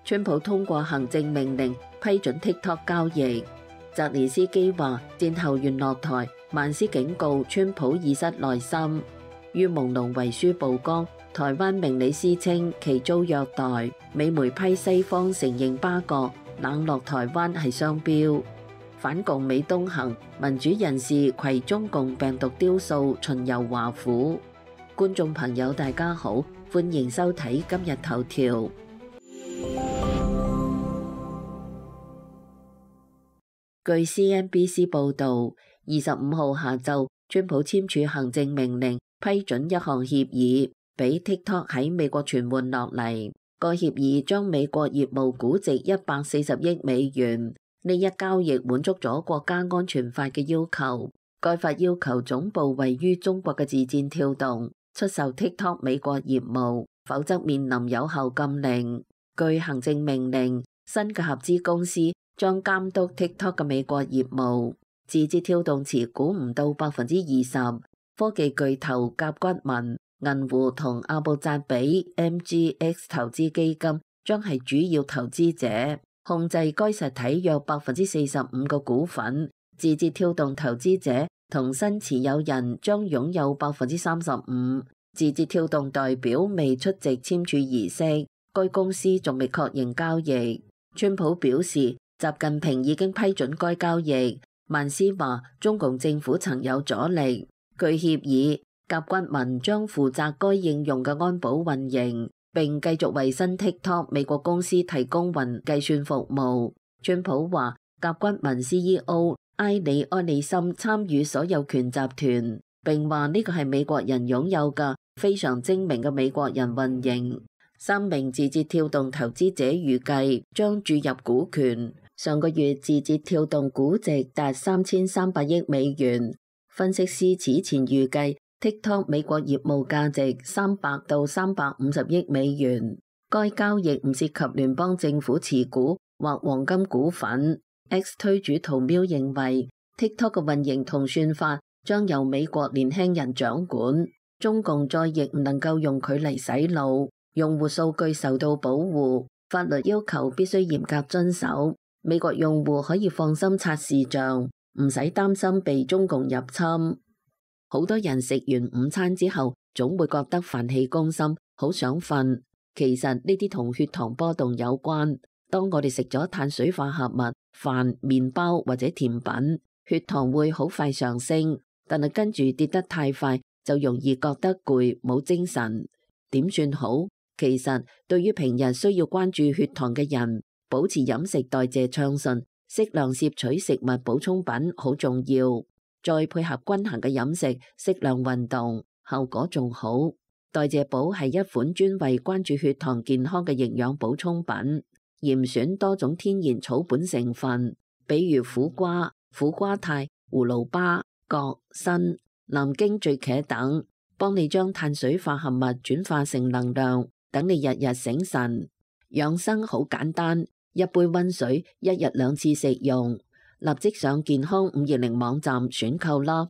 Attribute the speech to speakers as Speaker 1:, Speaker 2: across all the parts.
Speaker 1: 川普通過行政命令批准 TikTok 交易。澤連斯基話戰後願落台，萬斯警告川普已失耐心。於朦朧遺書曝光，台灣明理師稱其遭虐待，美媒批西方承認巴葛冷落台灣係雙標。反共美東行，民主人士攜中共病毒雕塑巡遊華府。觀眾朋友大家好，歡迎收睇今日頭條。據 CNBC 報導，25號下晝，川普簽署行政命令，批准一項協議，俾 TikTok 喺美國存換落嚟。個協議將美國業務估值140億美元。呢一交易滿足咗國家安全法嘅要求。該法要求總部位於中國嘅字節跳動出售 TikTok 美國業務，否則面臨有效禁令。據行政命令，新嘅合資公司將監督 TikTok 嘅美國業務。字節跳動持股唔到20%，科技巨頭甲骨文、銀湖同阿布扎比 MGX 投資基金將係主要投資者，控制該實體約45%嘅股份。字節跳動投資者同新持有人將擁有35%。字節跳動代表未出席簽署儀式，該公司仲未確認交易。川普表示，習近平已經批准該交易。萬斯話，中共政府曾有阻力。據協議，甲骨文將負責該應用嘅安保運營，並繼續為新 TikTok 美國公司提供雲計算服務。川普話，甲骨文 CEO 埃里安里森參與所有權集團，並話呢個係美國人擁有嘅非常精明嘅美國人運營。3名字節跳動投資者預計將注入股權。上個月字節跳動估值達3300億美元。分析師此前預計 TikTok 美國業務價值300到350億美元。該交易唔涉及聯邦政府持股或黃金股份。X 推主圖喵認為 TikTok 嘅運營同算法將由美國年輕人掌管，中共再亦唔能夠用佢嚟洗腦。用戶數據受到保護，法律要求必須嚴格遵守。美國用戶可以放心刷視像，唔使擔心被中共入侵。好多人食完午餐之後，總會覺得飯氣攻心，好想瞓。其實呢啲同血糖波動有關。當我哋食咗碳水化合物、飯、麵包或者甜品，血糖會好快上升，但係跟住跌得太快，就容易覺得攰，冇精神。點算好？其實對於平日需要關注血糖嘅人，保持飲食代謝暢順，適量攝取食物補充品好重要。再配合均衡嘅飲食，適量運動，效果仲好。代謝寶係一款專為關注血糖健康嘅營養補充品，嚴選多種天然草本成分，比如苦瓜、苦瓜肽、葫蘆巴、葛、參、南京醉茄等，幫你將碳水化合物轉化成能量，等你日日醒神。養生好簡單，一杯溫水，一日2次食用。立即上健康520網站選購啦。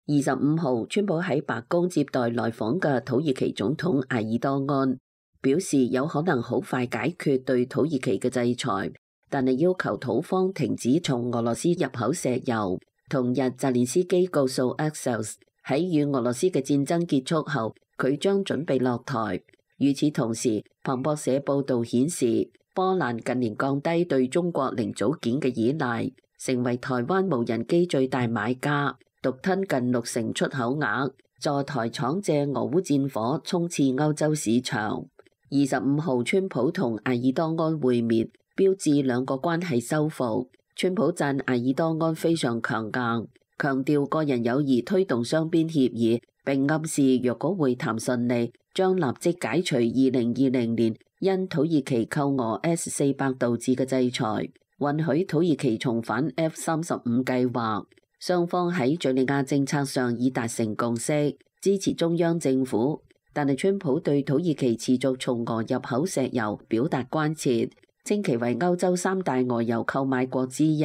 Speaker 1: 25號，川普喺白宮接待來訪嘅土耳其總統埃爾多安，表示有可能好快解決對土耳其嘅制裁，但係要求土方停止從俄羅斯入口石油。同日，澤連斯基告訴 Axios 喺與俄羅斯嘅戰爭結束後，佢將準備落台。與此同時，彭博社報導顯示，波蘭近年降低對中國零組件嘅依賴，成為台灣無人機最大買家，獨吞近60%出口額，助台廠借俄烏戰火衝刺歐洲市場。25號，川普同埃爾多安會面，標誌兩國關係修復。川普讚埃爾多安非常強硬，強調個人友誼推動雙邊協議，並暗示若果會談順利，將立即解除2020年因土耳其購俄 S-400導致嘅制裁，允許土耳其重返 F-35計劃。雙方喺敘利亞政策上已達成共識，支持中央政府。但係川普對土耳其持續從俄入口石油表達關切，稱其為歐洲3大俄油購買國之一。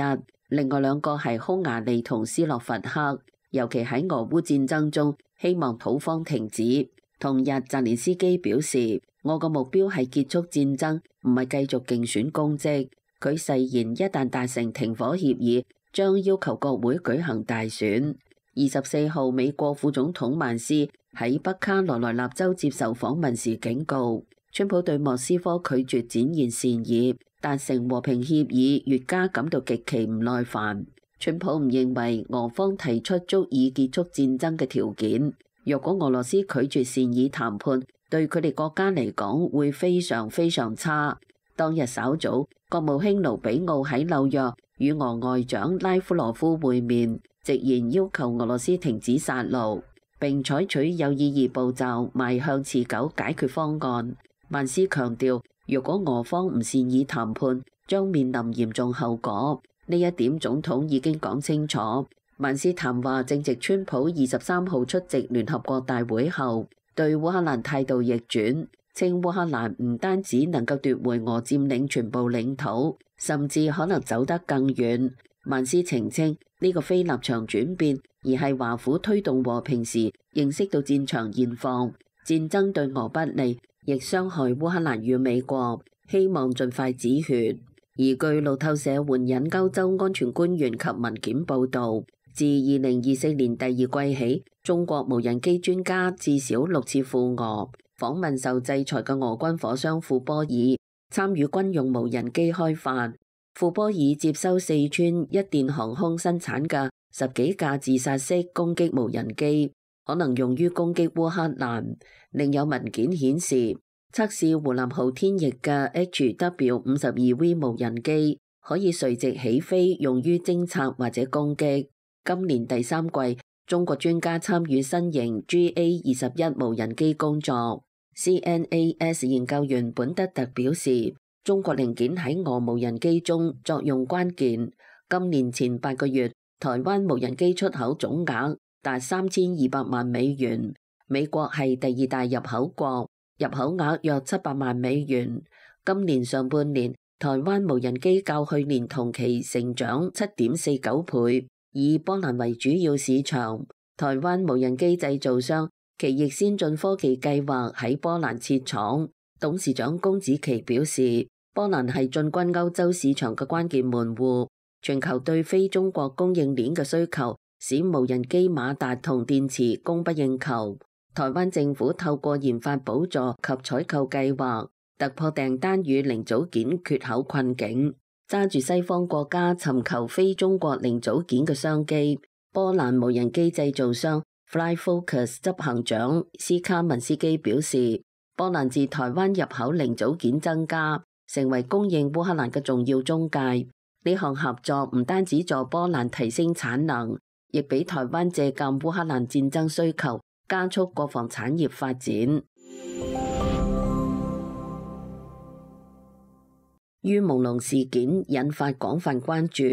Speaker 1: 另外2個係匈牙利同斯洛伐克，尤其喺俄烏戰爭中，希望土方停止。同日，澤連斯基表示，我個目標係結束戰爭，唔係繼續競選公職。佢誓言一旦達成停火協議，將要求國會舉行大選。24號，美國副總統曼斯喺北卡羅來納州接受訪問時警告，川普對莫斯科拒絕展現善意，達成和平協議越加感到極其唔耐煩。川普唔認為俄方提出足以結束戰爭嘅條件。若果俄羅斯拒絕善意談判，對佢哋國家嚟講會非常非常差。當日稍早，國務卿盧比奧喺紐約與俄外長拉夫羅夫會面，直言要求俄羅斯停止殺戮，並採取有意義步驟邁向持久解決方案。曼斯強調，若果俄方唔善意談判，將面臨嚴重後果。呢一點總統已經講清楚。曼斯談話正值川普23號出席聯合國大會後，對烏克蘭態度逆轉，稱烏克蘭唔單止能夠奪回俄佔領全部領土，甚至可能走得更遠。曼斯澄清呢個非立場轉變，而係華府推動和平時認識到戰場現況，戰爭對俄不利，亦傷害烏克蘭與美國，希望盡快止血。而據路透社援引歐洲安全官員及文件報導，自2024年第二季起，中國無人機專家至少6次赴俄，訪問受制裁嘅俄軍火商庫波爾，參與軍用無人機開發。庫波爾接收四川一電航空生產嘅10幾架自殺式攻擊無人機，可能用於攻擊烏克蘭。另有文件顯示，測試湖南昊天翼嘅 HW-52V 無人機可以垂直起飛，用於偵察或者攻擊。今年第3季，中國專家參與新型 GA-21 無人機工作。CNAS 研究員本德特表示，中國零件喺俄無人機中作用關鍵。今年前8個月，台灣無人機出口總額達3200萬美元，美國係第2大入口國，入口額約700萬美元。今年上半年，台灣無人機較去年同期成長7.49倍，以波蘭為主要市場。台灣無人機製造商奇翼先進科技計劃喺波蘭設廠。董事長龔子祺表示，波蘭係進軍歐洲市場嘅關鍵門戶。全球對非中國供應鏈嘅需求，使無人機馬達同電池供不應求。台灣政府透過研發補助及採購計劃，突破訂單與零組件缺口困境，揸住西方國家尋求非中國零組件嘅商機。波蘭無人機製造商 Flyfocus 執行長斯卡文斯基表示，波蘭自台灣入口零組件增加，成為供應烏克蘭嘅重要中介。呢項合作唔單止助波蘭提升產能，亦俾台灣借鑑烏克蘭戰爭需求，加速國防產業發展。于朦朧事件引發廣泛關注。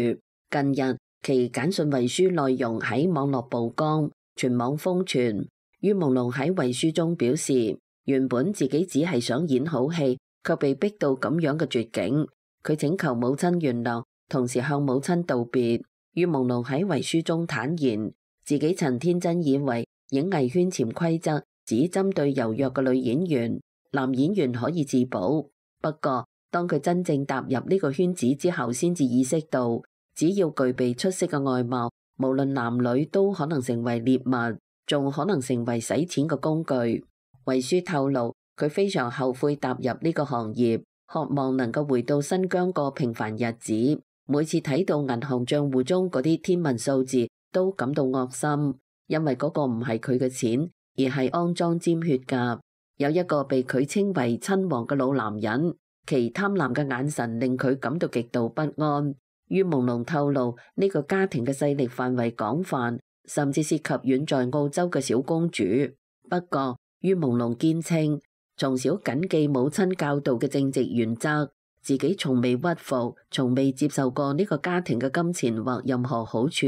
Speaker 1: 近日，其簡訊遺書內容喺網絡曝光，全網瘋傳。于朦朧喺遺書中表示，原本自己只係想演好戲，卻被逼到咁樣嘅絕境。佢請求母親原諒，同時向母親道別。于朦朧喺遺書中坦言，自己曾天真以為影藝圈潛規則只針對柔弱嘅女演員，男演員可以自保。不過，當佢真正踏入呢個圈子之後，先至意識到，只要具備出色嘅外貌，無論男女都可能成為獵物，仲可能成為洗錢嘅工具。遺書透露，佢非常後悔踏入呢個行業，渴望能夠回到新疆過平凡日子。每次睇到銀行賬戶中嗰啲天文數字，都感到惡心，因為嗰個唔係佢嘅錢，而係骯髒沾血㗎。有一個被佢稱為親王嘅老男人，其貪婪嘅眼神令佢感到極度不安。于朦朧透露，呢個家庭嘅勢力範圍廣泛，甚至涉及遠在澳洲嘅小公主。不過，于朦朧堅稱，從小謹記母親教導嘅正直原則，自己從未屈服，從未接受過呢個家庭嘅金錢或任何好處。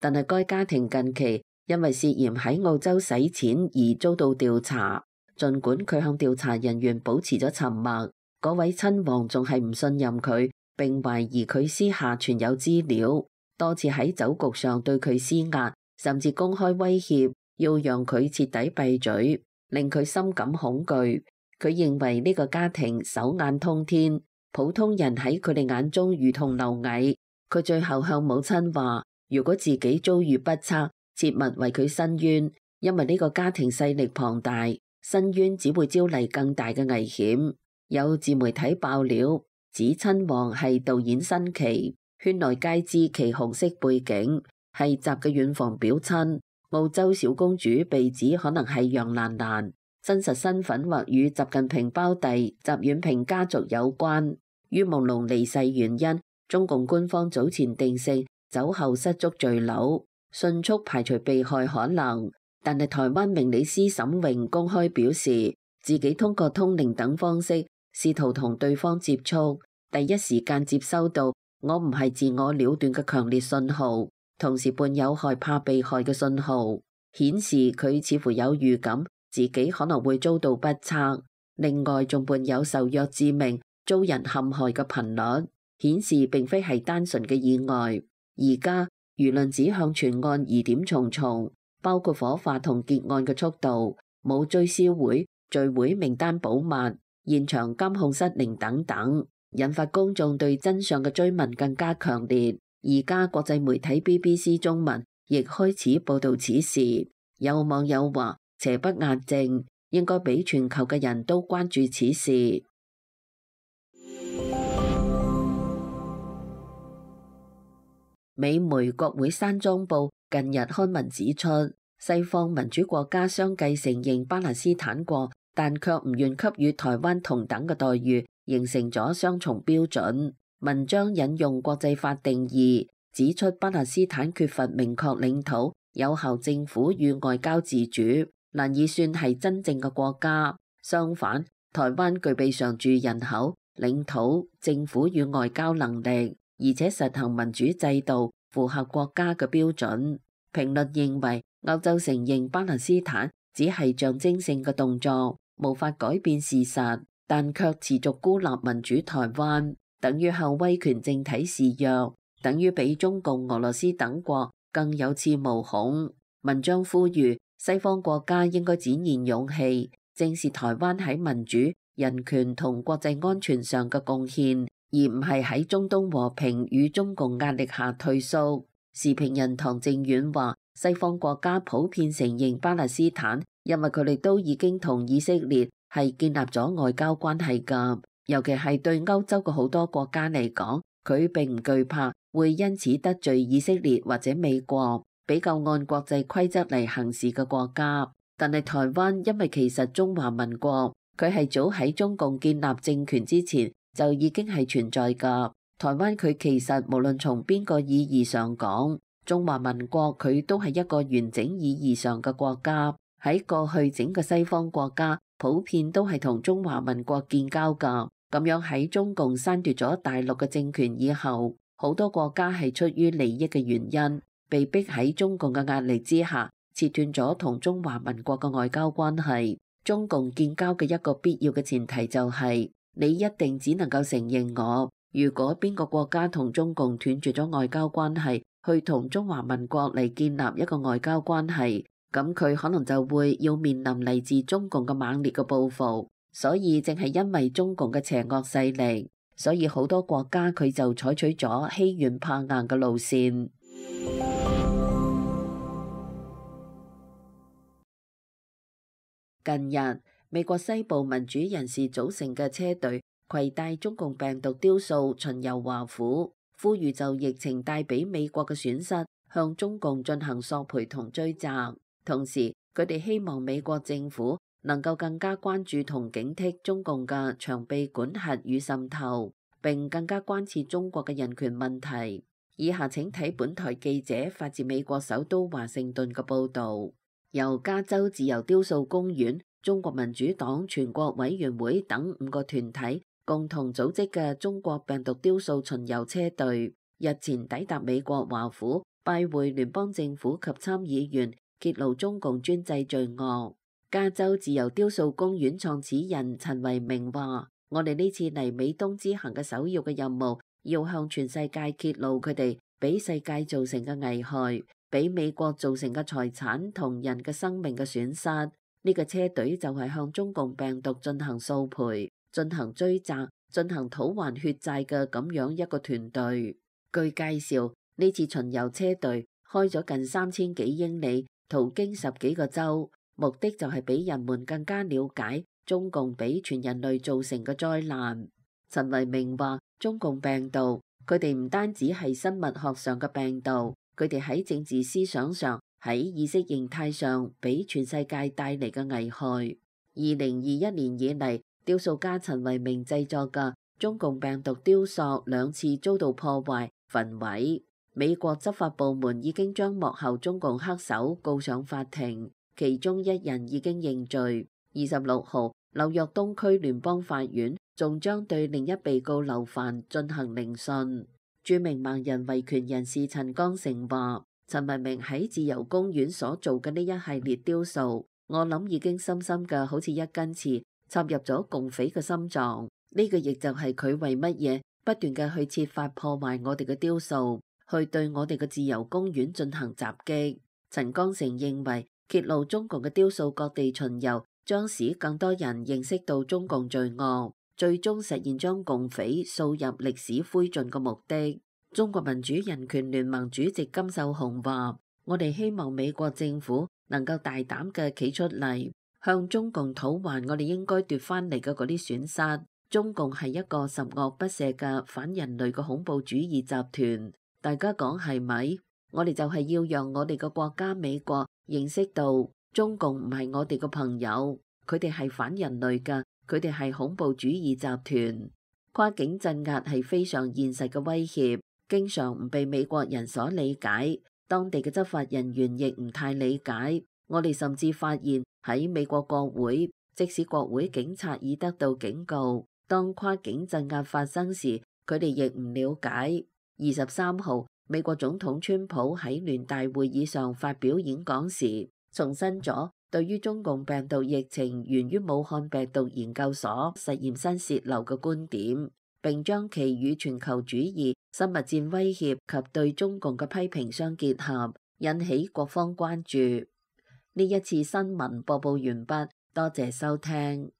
Speaker 1: 但係該家庭近期因為涉嫌喺澳洲洗錢而遭到調查，儘管佢向調查人員保持咗沉默，嗰位親王仲係唔信任佢，並懷疑佢私下存有資料，多次喺酒局上對佢施壓，甚至公開威脅要讓佢徹底閉嘴。令佢深感恐懼。佢認為呢個家庭手眼通天，普通人喺佢哋眼中如同螻蟻。佢最後向母親話，如果自己遭遇不測，切勿為佢申冤，因為呢個家庭勢力龐大，申冤只會招嚟更大嘅危險。有自媒體爆料，指親王係導演新奇，圈內皆知其紅色背景係習嘅遠房表親。澳洲小公主被指可能係楊蘭蘭，真實身份或與習近平胞弟習遠平家族有關。於朦朧離世原因，中共官方早前定性酒後失足墜樓，迅速排除被害可能。但係台灣明理司沈榮公開表示，自己通過通靈等方式試圖同對方接觸，第一時間接收到我唔係自我了斷嘅強烈信號，同時伴有害怕被害嘅信號，顯示佢似乎有預感自己可能會遭到不測。另外仲伴有受虐致命、遭人陷害嘅頻率，顯示並非係單純嘅意外。而家輿論指向全案疑點重重，包括火化同結案嘅速度、冇追思會、聚會名單保密、現場監控失靈等等，引發公眾對真相嘅追問更加強烈。而家國際媒體 BBC 中文亦開始報導此事，有網友話邪不壓正，應該俾全球嘅人都關注此事。美媒國會山莊報近日刊文指出，西方民主國家相繼承認巴勒斯坦國，但卻唔願給予台灣同等嘅待遇，形成咗雙重標準。文章引用國際法定義，指出巴勒斯坦缺乏明確領土、有效政府與外交自主，難以算係真正嘅國家。相反，台灣具備常住人口、領土、政府與外交能力，而且實行民主制度，符合國家嘅標準。評論認為，歐洲承認巴勒斯坦只係象徵性嘅動作，無法改變事實，但卻持續孤立民主台灣，等於向威權政體示弱，等於比中共、俄羅斯等國更有恃無恐。文章呼籲西方國家應該展現勇氣，正視台灣喺民主、人權同國際安全上嘅貢獻，而唔係喺中東和平與中共壓力下退縮。時評人唐正遠話，西方國家普遍承認巴勒斯坦，因為佢哋都已經同以色列係建立咗外交關係㗎。尤其係對歐洲嘅好多國家嚟講，佢並唔懼怕會因此得罪以色列或者美國，比較按國際規則嚟行事嘅國家。但係台灣因為其實中華民國，佢係早喺中共建立政權之前就已經係存在㗎。台灣佢其實無論從邊個意義上講，中華民國佢都係一個完整意義上嘅國家。喺過去整個西方國家普遍都係同中華民國建交㗎。咁樣喺中共刪奪咗大陸嘅政權以後，好多國家係出於利益嘅原因，被逼喺中共嘅壓力之下，切斷咗同中華民國嘅外交關係。中共建交嘅一個必要嘅前提就係，你一定只能夠承認我。如果邊個國家同中共斷絕咗外交關係，去同中華民國嚟建立一個外交關係，咁佢可能就會要面臨嚟自中共嘅猛烈嘅報復。所以正係因為中共嘅邪惡勢力，所以好多國家佢就採取咗欺軟怕硬嘅路線。近日，美國西部民主人士組成嘅車隊攜帶中共病毒雕塑巡遊華府，呼籲就疫情帶俾美國嘅損失向中共進行索賠同追責。同時，佢哋希望美國政府能夠更加關注同警惕中共嘅長臂管轄與滲透，並更加關切中國嘅人權問題。以下請睇本台記者發自美國首都華盛頓嘅報導。由加州自由雕塑公園、中國民主黨全國委員會等5個團體共同組織嘅中國病毒雕塑巡遊車隊，日前抵達美國華府，拜會聯邦政府及參議員，揭露中共專制罪惡。加州自由雕塑公園創始人陳維明話：我哋呢次嚟美東之行嘅首要嘅任務，要向全世界揭露佢哋俾世界造成嘅危害，俾美國造成嘅財產同人嘅生命嘅損失。呢呢個車隊就係向中共病毒進行掃賠、進行追責、進行討還血債嘅咁樣一個團隊。據介紹，呢次巡遊車隊開咗近3000幾英里，途經10幾個州，目的就係俾人們更加了解中共俾全人類造成嘅災難。陳維明話：中共病毒，佢哋唔單止係生物學上嘅病毒，佢哋喺政治思想上、喺意識形態上，俾全世界帶嚟嘅危害。2021年以嚟，雕塑家陳維明製作嘅中共病毒雕塑2次遭到破壞、焚毀。美國執法部門已經將幕後中共黑手告上法庭，其中1人已經認罪。26號，紐約東區聯邦法院仲將對另一被告劉帆進行聆訊。著名盲人維權人士陳剛成話：陳維明喺自由公園所做嘅呢一系列雕塑，我諗已經深深嘅好似一根刺插入咗共匪嘅心臟。呢個亦就係佢為乜嘢不斷嘅去設法破壞我哋嘅雕塑，去對我哋嘅自由公園進行襲擊。陳剛成認為，揭露中共嘅雕塑各地巡遊，將使更多人認識到中共罪惡，最終實現將共匪掃入歷史灰燼嘅目的。中國民主人權聯盟主席金秀雄話：我哋希望美國政府能夠大膽嘅企出嚟，向中共討還我哋應該奪翻嚟嘅嗰啲損失。中共係一個十惡不赦嘅反人類嘅恐怖主義集團，大家講係咪？我哋就係要讓我哋嘅國家美國認識到中共唔係我哋嘅朋友，佢哋係反人類嘅，佢哋係恐怖主義集團。跨境鎮壓係非常現實嘅威脅，經常唔被美國人所理解，當地嘅執法人員亦唔太理解。我哋甚至發現喺美國國會，即使國會警察已得到警告，當跨境鎮壓發生時，佢哋亦唔了解。23號，美國總統川普喺聯大會議上發表演講時，重申咗對於中共病毒疫情源於武漢病毒研究所實驗室洩漏嘅觀點，並將其與全球主義、生物戰威脅及對中共嘅批評相結合，引起各方關注。呢一次新聞播報完畢，多謝收聽。